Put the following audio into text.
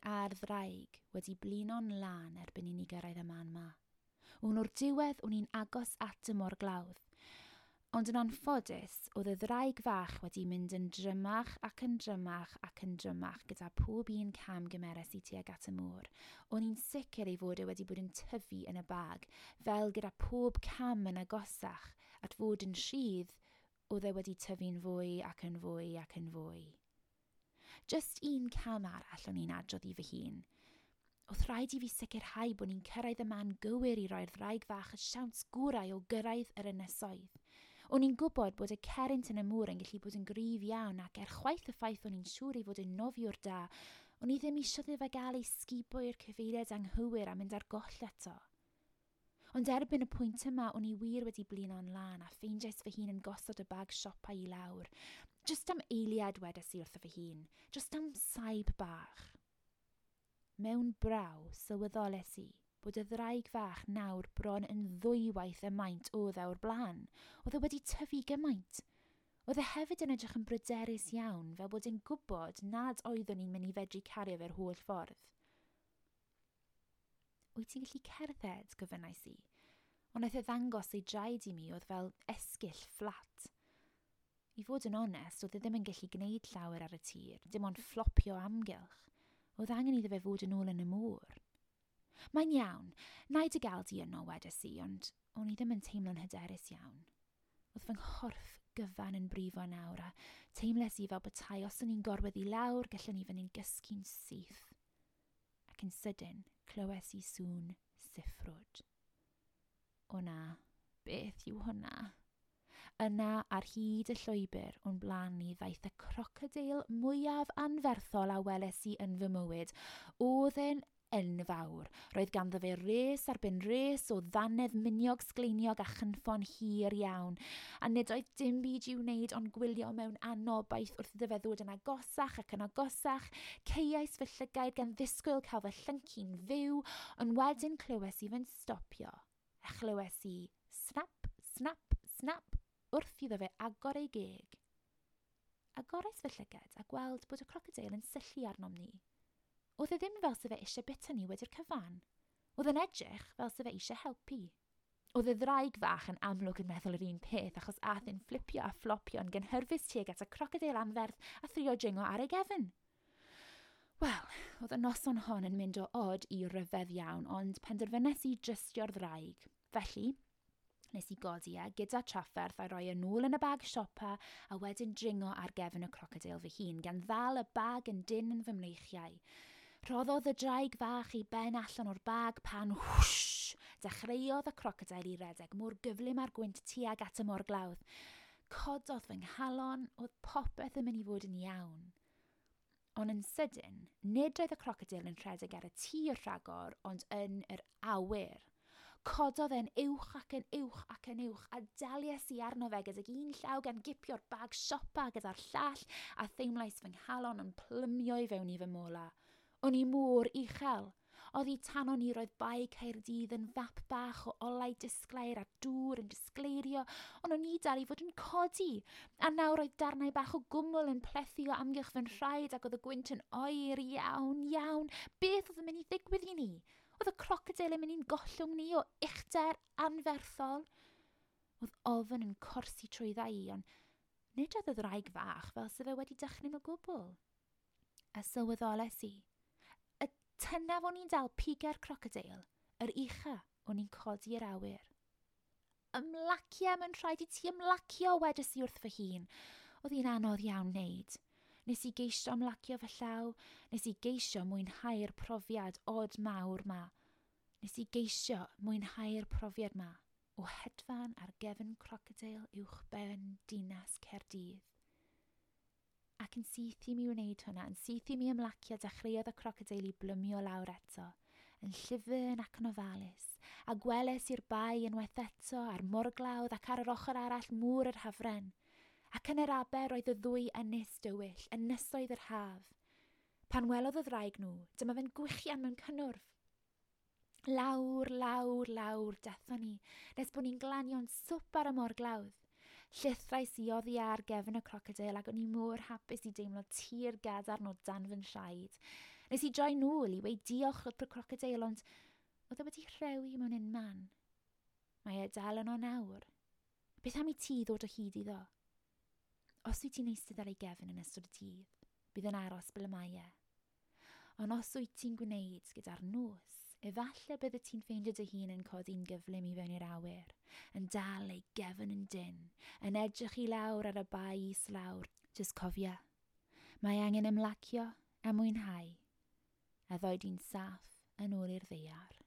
a'r ddraig wedi blino'n lân erbyn i ni gyrraedd y man 'ma. O'n o'r diwedd o'n i'n agos at y morglawdd. Ond yn anffodus, oedd y ddraig fach wedi mynd yn drymach ac yn drymach ac yn drymach gyda pob un cam gymeres i tuag at y môr. O'n i'n sicr ei fod e wedi bod yn tyfu yn y bag, fel gyda pob cam yn agosach at fod yn rhydd, oedd e wedi tyfu'n fwy ac yn fwy ac yn fwy. Just un cam arall o'n i'n adrodd i fy hun. Oedd rhaid i fi sicrhau bod ni'n cyrraedd y man gywir i roi'r ddraig fach y siawns gorau o gyrraedd yr ynysoedd. O'n i'n gwybod bod y cerrynt yn y môr yn gallu bod yn gryf iawn ac er chwaith y ffaith o'n i'n siŵr ei fod yn nofiwr da, o'n i ddim eisiau iddo fe gael ei sgubo i'r cyfeiriad anghywir a mynd ar goll eto. Ond erbyn y pwynt yma, o'n i wir wedi blino'n lân a ffeindiais fy hun yn gosod y bag siopa i lawr. Just am eiliad wedes i wrtho fy hun, just am saib bach. Mewn braw, sylweddoles i bod y ddraig fach nawr bron yn ddwywaith y maint oedd e o'r blaen. Oedd e wedi tyfu gymaint. Oedd e hefyd yn edrych yn bryderus iawn, fel bod e'n gwybod nad oeddwn i'n mynd i fedru cario fe'r holl ffordd. Wyt ti'n gallu cerdded, gofynnais i. Ond naeth e ddangos ei draed i mi oedd fel esgyll fflat. I fod yn onest, oedd e ddim yn gallu gwneud llawer ar y tir, dim ond fflopio amgylch. Oedd angen iddo fe fod yn ôl yn y môr. Mae'n iawn, na i dy gael di yno, wedes i, ond o'n i ddim yn teimlo'n hyderus iawn. Oedd fy nghorff gyfan yn brifo nawr a teimles i fel petai os o'n i'n gorwedd i lawr, gallwn i fynd i'n gysgu'n syth. Ac yn sydyn, clywes i sŵn siffrwd. O na, beth yw hwnna? Yna, ar hyd y llwybr o'n blaen ni ddaeth y crocodeil mwyaf anferthol a weles i yn fy mywyd. Oedd e'n enfawr. Roedd ganddo fe res ar ben res o ddannedd miniog sgleiniog a chynffon hir iawn. A nid oedd dim byd i'w wneud ond gwylio mewn anobaith wrth iddo fe ddod yn agosach ac yn agosach. Caeais fy llygaid gan ddisgwyl cael fy llyncu'n fyw, ond wedyn clywes i fe'n stopio. A chlywes i snap, snap, snap wrth iddo fe agor ei geg. Agorais fy llygad a gweld bod y crocodeil yn syllu arnom ni. Oedd e ddim fel se fe eisiau bita ni wedi'r cyfan. Oedd e'n edrych fel se fe eisiau helpu. Oedd y ddraig fach yn amlwg yn meddwl yr un peth achos ath e'n fflipio a fflopio yn gynhyrfus tuag at y crocodeil anferth a thrio dringo ar ei gefn. Wel, oedd y noson hon yn mynd o od i ryfedd iawn, ond penderfynes i drystio'r ddraig. Felly, nes i godi e gyda trafferth a roi e nôl yn y bag siopa a wedyn dringo ar gefn y crocodeil fy hun, gan ddal y bag yn dynn yn fy mreichiau. Rhoddodd y draig fach ei ben allan o'r bag pan whoosh, dechreuodd y crocodeil i redeg mor gyflym â'r gwynt tuag at y morglawdd. Cododd fy nghalon, oedd popeth yn mynd i fod yn iawn. Ond yn sydyn, nid oedd y crocodeil yn rhedeg ar y tir rhagor, ond yn yr awyr. Cododd e'n uwch ac yn uwch ac yn uwch, a daliais i arno fe gydag un llaw gan gipio'r bag siopa gyda'r llall, a theimlais fy nghalon yn plymio i fewn i fy mola. O'n i mor uchel. Oddi tanon ni roedd Bae Caerdydd yn fap bach o olau disglair a dŵr yn disgleirio, ond o'n i dal i fod yn codi. A nawr roedd darnau bach o gwmwl yn plethu o amgylch fy nhraed ac oedd y gwynt yn oer iawn, iawn. Beth oedd yn mynd i ddigwydd i ni? Oedd y crocodeil yn mynd i'n gollwng ni o uchder anferthol? Oedd ofn yn corsi trwydda i, ond nid oedd y ddraig fach fel se fe wedi dychryn o gwbl. A sylweddoles i, y tynaf o'n i'n dal piga'r crocodeil, yr ucha o'n i'n codi i'r awyr. Ymlacio, mae'n rhaid i ti ymlacio, wedes i wrth fy hun. Oedd hi'n anodd iawn wneud. Nes i geisio ymlacio fy llaw, nes i geisio mwynhau'r profiad od mawr ma. Nes i geisio mwynhau'r profiad ma o hedfan ar gefn crocodeil uwch ben dinas Caerdydd. Ac yn syth i mi wneud hwnna, yn syth i mi ymlacio, dechreuodd y crocodeil i blymio lawr eto, yn llyfn ac yn ofalus, a gweles i'r bae unwaith eto, a'r morglawdd ac ar yr ochr arall môr yr Hafren. Ac yn yr aber roedd y ddwy ynys dywyll, ynysoedd yr haf. Pan welodd y ddraig nhw, dyma fe'n gwichian mewn cynnwrf. Lawr, lawr, lawr, dethon ni, nes bod ni'n glanio'n swp ar y morglawdd. Llithrais i oddi ar gefn y crocodeil ac o'n i mor hapus i deimlo tir gadarn o dan fy nhraed. Nes i droi nôl i weud diolch wrth y crocodeil, ond oedd e wedi rhewi mewn un man. Mae e dal yno nawr. Beth am i ti ddod o hyd iddo? Os wyt ti'n eistedd ar ei gefn yn ystod y dydd, bydd yn aros ble mae e. Ond os wyt ti'n gwneud gyda'r nos, efallai bydde ti'n ffeindio dy hun yn codi'n gyflym i fewn i'r awyr, yn dal ei gefn yn dyn, yn edrych i lawr ar y bai islawr. Jyst cofia, mae angen ymlacio a mwynhau, a ddoi di'n saff yn ôl i'r ddaear.